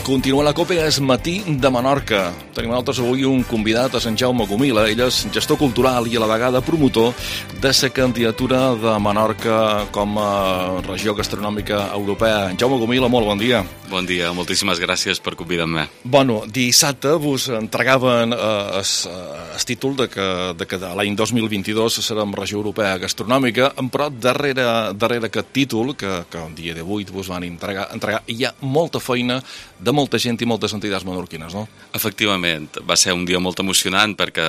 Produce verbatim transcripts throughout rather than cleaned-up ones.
Continua la Copa, és Matí de Menorca. Tenim nosaltres avui un convidat a Sant Jaume Gomila. Ell és gestor cultural i a la vegada promotor de la candidatura de Menorca com a regió gastronòmica europea. Jaume Gomila, molt bon dia. Bon dia, moltíssimes gràcies per convidar-me. Bueno, dissabte vos entregaven el eh, títol de que, de que l'any dos mil vint-i-dos serem regió europea gastronòmica, però darrere, darrere aquest títol, que, que el dia d'avui vos van entregar, entregar, hi ha molta feina de molta gent i moltes entitats menorquines, no? Efectivament, va ser un dia molt emocionant perquè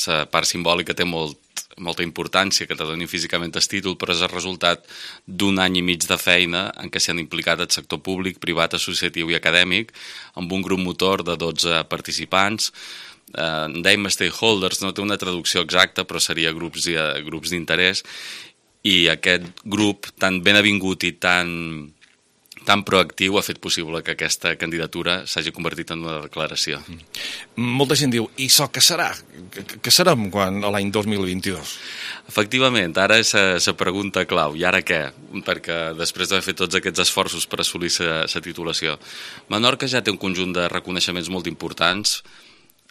la part simbòlica té molt, molta importància que te donin físicament el títol, però és el resultat d'un any i mig de feina en què s'hi han implicat el sector públic, privat, associatiu i acadèmic, amb un grup motor de dotze participants. En eh, dèiem stakeholders, no té una traducció exacta, però seria grups, grups d'interès, i aquest grup tan ben avingut i tan... tan proactiu ha fet possible que aquesta candidatura s'hagi convertit en una declaració. Mm. Molta gent diu, i això què serà? Què serem quan l'any dos mil vint-i-dos? Efectivament, ara és la pregunta clau. I ara què? Perquè després d'haver fet tots aquests esforços per assolir la titulació. Menorca ja té un conjunt de reconeixements molt importants: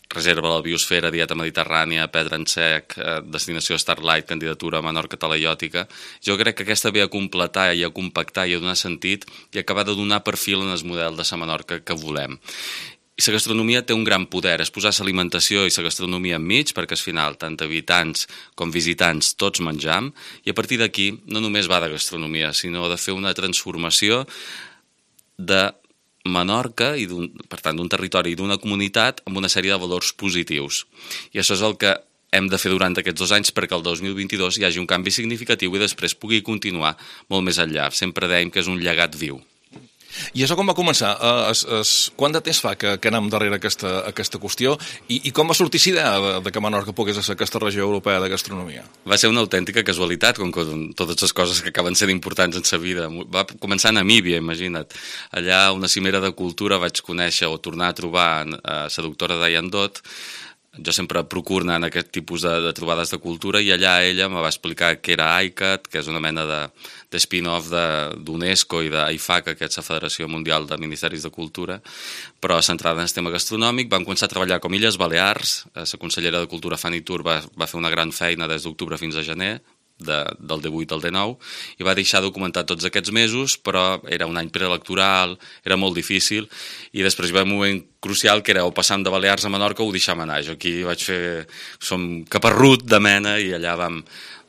reserva de la biosfera, dieta mediterrània, pedra en sec, eh, destinació Starlight, candidatura a Menorca talaiòtica. Jo crec que aquesta ve a completar i a compactar i a donar sentit i acabar de donar perfil en el model de la Menorca que volem. I la gastronomia té un gran poder, és posar l'alimentació i la gastronomia enmig, perquè al final tant habitants com visitants tots menjam, i a partir d'aquí no només va de gastronomia, sinó de fer una transformació de Menorca, i per tant d'un territori i d'una comunitat amb una sèrie de valors positius. I això és el que hem de fer durant aquests dos anys perquè el dos mil vint-i-dos hi hagi un canvi significatiu i després pugui continuar molt més enllà. Sempre dèiem que és un llegat viu. I això com va començar? Uh, es, es, quant de temps fa que, que anem darrere aquesta, aquesta qüestió i, i com va sortir la idea de, de que Menorca pogués ser aquesta regió europea de gastronomia? Va ser una autèntica casualitat, com que totes les coses que acaben sent importants en sa vida. Va començar a Namíbia, imagina't. Allà, a una cimera de cultura, vaig conèixer o tornar a trobar a la doctora Diane Dot. Jo sempre procuro anar en aquest tipus de, de trobades de cultura, i allà ella me va explicar què era I C A T, que és una mena de, de spin-off d'UNESCO i d'AIFACA, que és la Federació Mundial de Ministeris de Cultura, però centrada en el tema gastronòmic. Vam començar a treballar com Illes Balears. La consellera de Cultura, Fanny Tur, va, va fer una gran feina des d'octubre fins a gener, de, del D vuit al D nou, i va deixar documentat tots aquests mesos, però era un any preelectoral, era molt difícil, i després va haver un moment crucial que era o passar de Balears a Menorca o deixar anar. Jo aquí vaig fer... som caparrut de mena, i allà vam,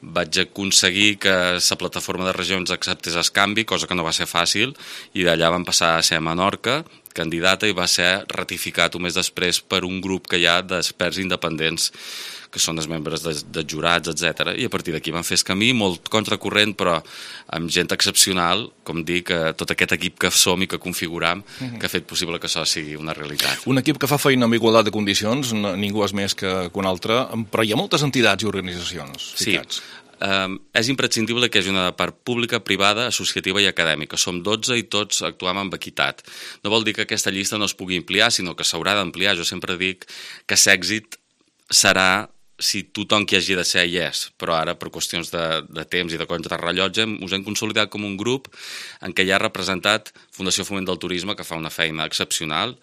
vaig aconseguir que la plataforma de regions acceptés el canvi, cosa que no va ser fàcil, i d'allà vam passar a ser a Menorca candidata, i va ser ratificat un mes després per un grup que hi ha d'experts independents, que són els membres de, de jurats, etcètera. I a partir d'aquí van fer el camí, molt contracorrent, però amb gent excepcional, com dic, tot aquest equip que som i que configuram, uh-huh. que ha fet possible que això sigui una realitat. Un equip que fa feina amb igualtat de condicions, ningú és més que un altre, però hi ha moltes entitats i organitzacions ficats. Sí. Um, és imprescindible que hi hagi una part pública, privada, associativa i acadèmica. Som dotze i tots actuem amb equitat. No vol dir que aquesta llista no es pugui ampliar, sinó que s'haurà d'ampliar. Jo sempre dic que l'èxit serà si tothom que hi hagi de ser hi és, però ara per qüestions de, de temps i de contrarrellotge us hem consolidat com un grup en què hi ha representat Fundació Foment del Turisme, que fa una feina excepcional.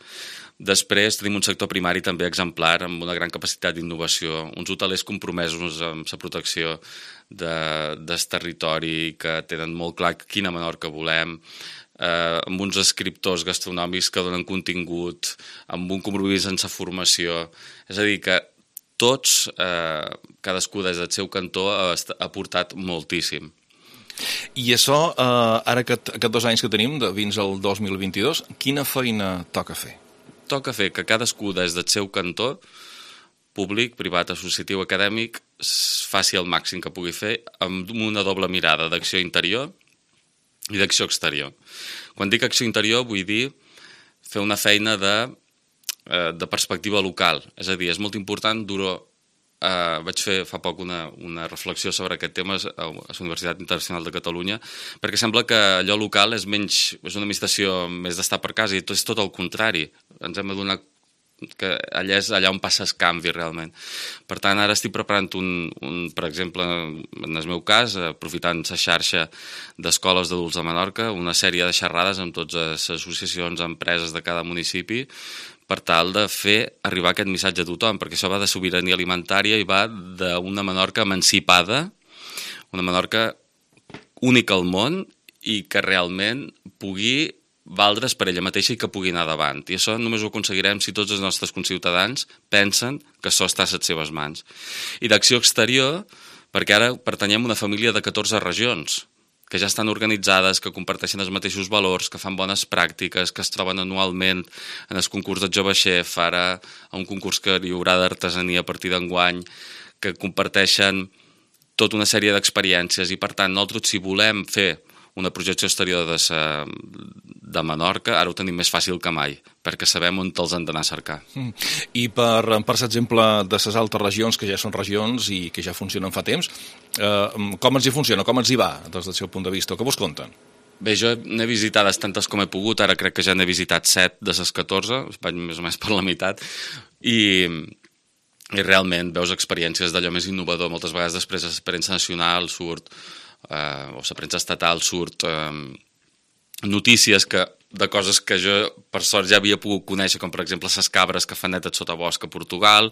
Després tenim un sector primari també exemplar, amb una gran capacitat d'innovació, uns hotelers compromesos amb la protecció de, del territori, que tenen molt clar quina Menorca volem, eh, amb uns escriptors gastronòmics que donen contingut, amb un compromís en la formació. És a dir, que tots, eh, cadascú des del seu cantó, ha, ha portat moltíssim. I això, eh, ara aquest, aquests dos anys que tenim, de fins al dos mil vint-i-dos, quina feina toca fer? Toca fer que cadascú des del seu cantó, públic, privat, associatiu, acadèmic, faci el màxim que pugui fer amb una doble mirada d'acció interior i d'acció exterior. Quan dic acció interior vull dir fer una feina de de perspectiva local, és a dir, és molt important. Duro, eh, vaig fer fa poc una, una reflexió sobre aquest tema a la Universitat Internacional de Catalunya, perquè sembla que allò local és menys, és una administració més d'estar per casa, i tot és tot el contrari. Ens hem adonat que allà és allà on passes canvi realment. Per tant, ara estic preparant un, un per exemple, en el meu cas, aprofitant la xarxa d'escoles d'adults de Menorca, una sèrie de xerrades amb totes les associacions, empreses de cada municipi, per tal de fer arribar aquest missatge a tothom, perquè això va de sobirania alimentària i va d'una Menorca emancipada, una Menorca única al món i que realment pugui valdre's per ella mateixa i que pugui anar davant. I això només ho aconseguirem si tots els nostres conciutadans pensen que això està a les seves mans. I d'acció exterior, perquè ara pertanyem a una família de catorze regions, que ja estan organitzades, que comparteixen els mateixos valors, que fan bones pràctiques, que es troben anualment en el concurs de Jove Chef, ara a un concurs que hi haurà d'artesania a partir d'enguany, que comparteixen tota una sèrie d'experiències i, per tant, nosaltres, si volem fer una projecció exterior de, sa, de Menorca, ara ho tenim més fàcil que mai, perquè sabem on els han d'anar a cercar. Mm. I per, per exemple, de les altres regions, que ja són regions i que ja funcionen fa temps, eh, com ens hi funciona, com ens hi va, des del seu punt de vista? Què vos conten? Bé, jo n'he visitades tantes com he pogut, ara crec que ja n'he visitat set de les catorze, vaig més o menys per la meitat, i, i realment veus experiències d'allò més innovador. Moltes vegades després de la premsa nacional surt Uh, o la premsa estatal surt uh, notícies que, de coses que jo per sort ja havia pogut conèixer, com per exemple les cabres que fan netes sota bosc a Portugal,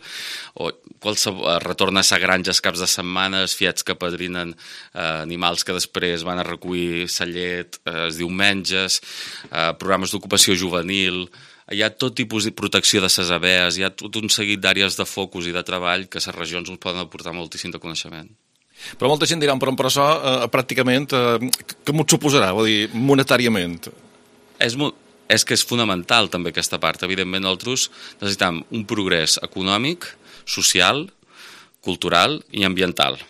o qualsevol, retorna a sa granja els caps de setmanes, fiets que padrinen uh, animals que després van a recollir sa llet uh, els diumenges, uh, programes d'ocupació juvenil. Hi ha tot tipus de protecció de ses abees, hi ha tot un seguit d'àrees de focus i de treball que les regions ens poden aportar moltíssim de coneixement. Però molta gent dirà, però, però això eh, pràcticament, eh, què m'ho suposarà, vull dir, monetàriament? És, és que és fonamental també aquesta part. Evidentment, nosaltres necessitem un progrés econòmic, social, cultural i ambiental.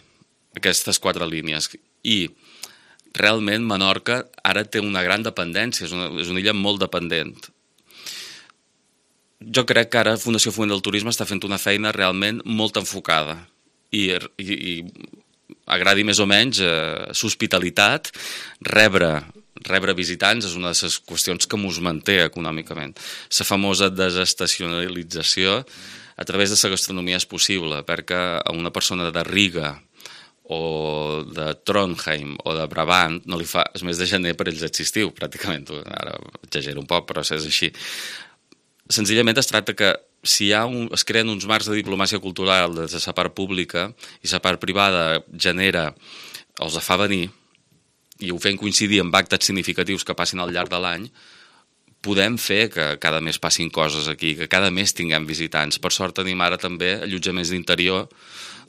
Aquestes quatre línies. I realment Menorca ara té una gran dependència, és una, és una illa molt dependent. Jo crec que ara Fundació Foment del Turisme està fent una feina realment molt enfocada i, i, i agradi més o menys eh, l'hospitalitat, rebre, rebre visitants és una de les qüestions que mos manté econòmicament. La famosa desestacionalització a través de la gastronomia és possible, perquè a una persona de Riga o de Trondheim o de Brabant no li fa el mes de gener per ells estiu, pràcticament. Ara exagero un poc, però és així. Senzillament es tracta que si hi ha un, es creen uns marcs de diplomàcia cultural des de la part pública i la part privada genera, els fa venir i ho fem coincidir amb actes significatius que passin al llarg de l'any, podem fer que cada mes passin coses aquí, que cada mes tinguem visitants. Per sort tenim ara també allotjaments d'interior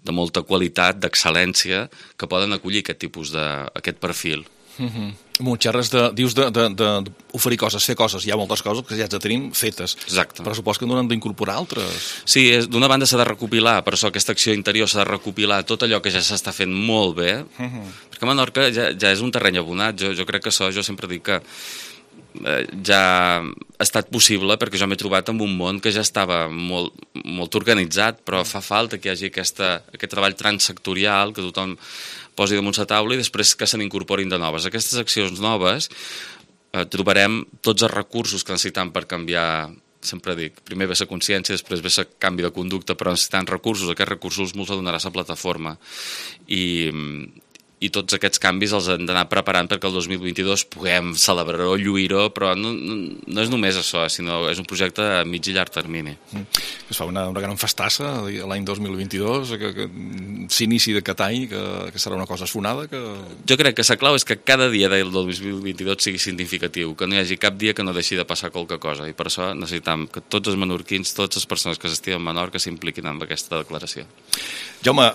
de molta qualitat, d'excel·lència, que poden acollir aquest tipus de, aquest perfil. Mm-hmm. M'ho xerres de, dius d'oferir coses, fer coses. Hi ha moltes coses que ja ens tenim fetes. Exacte. Però supos que n'hem d'incorporar altres. Sí, d'una banda s'ha de recopilar, per això aquesta acció interior s'ha de recopilar tot allò que ja s'està fent molt bé, uh-huh. perquè Menorca ja, ja és un terreny abonat. Jo, jo crec que això, jo sempre dic que eh, ja ha estat possible perquè jo m'he trobat en un món que ja estava molt, molt organitzat, però fa falta que hi hagi aquesta, aquest treball transsectorial, que tothom posi damunt la taula i després que se n'incorporin de noves. Aquestes accions noves eh, trobarem tots els recursos que necessitem per canviar, sempre dic, primer ve la consciència, després ve el canvi de conducta, però necessitem recursos, aquests recursos ens donarà la plataforma i, i tots aquests canvis els hem d'anar preparant perquè el dos mil vint-i-dos puguem celebrar-ho, lluir-ho, però no, no, no és només això, sinó és un projecte a mig i llarg termini. Mm. Es fa una, una gran festassa l'any dos mil vint-i-dos, que, que s'inici d'aquest any, que, que serà una cosa sonada. Que... Jo crec que la clau és que cada dia del dos mil vint-i-dos sigui significatiu, que no hi hagi cap dia que no deixi de passar qualque cosa, i per això necessitam que tots els menorquins, totes les persones que s'estimen a Menorca s'impliquin en aquesta declaració. Jaume,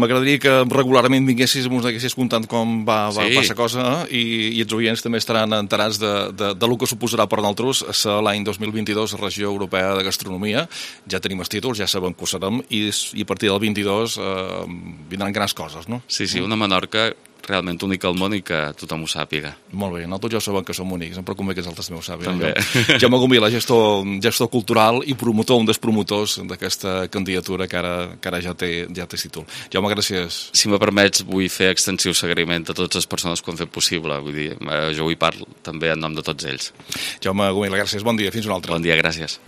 m'agradaria que regularment vinguessis i ens haguessis contant com va, va sí. passar cosa, eh? I, i els oients també estaran enterats de, de, de lo que suposarà per nosaltres ser l'any dos mil vint-i-dos Regió Europea de Gastronomia. Ja tenim els títols, ja sabem que ho serem, i, i a partir del vint-i-dos eh, vindran grans coses, no? Sí, sí, una Menorca realment única al món i que tothom ho sàpiga. Molt bé, nosaltres ja sabem que som únics, em preocupa que els altres meus sàpiguen. També. Jaume Gomila, gestor, gestor cultural i promotor, un dels promotors d'aquesta candidatura que ara, que ara ja, té, ja té títol. Jaume, gràcies. Si me permets, vull fer extensiu seguiment a totes les persones que ho han fet possible. Vull dir, jo avui parlo també en nom de tots ells. Jaume Gomila, gràcies. Bon dia, fins un altre. Bon dia, gràcies.